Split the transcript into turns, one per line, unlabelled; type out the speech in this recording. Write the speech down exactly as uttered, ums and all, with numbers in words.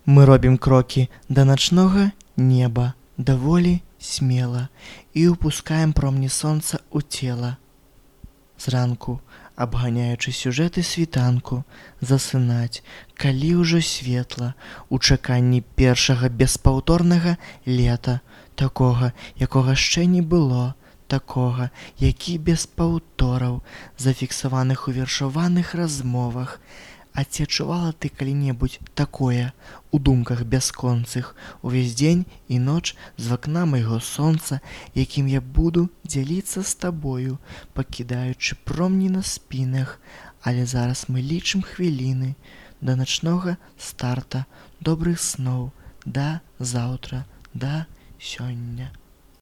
Мы робім крокі да начнога неба даволі смела і ўпускаем промні сонца ў цела. Зранку, абганяючы сюжэты світанку, засынаць, калі ўжо светла, у чаканні першага беспаўторнага лета, такога, якога яшчэ не было, такога, які без паўтораў, зафіксаваных у вершаваных размовах. А ці адчувала ты калі-небудзь такое у думках бясконцых увесь дзень і ноч з вакна майго сонца, якім я буду дзяліцца з табою, пакідаючы промні на спінах, але зараз мы лічым хвіліны да начнога старта, добрых сноў, да заўтра, да сёння.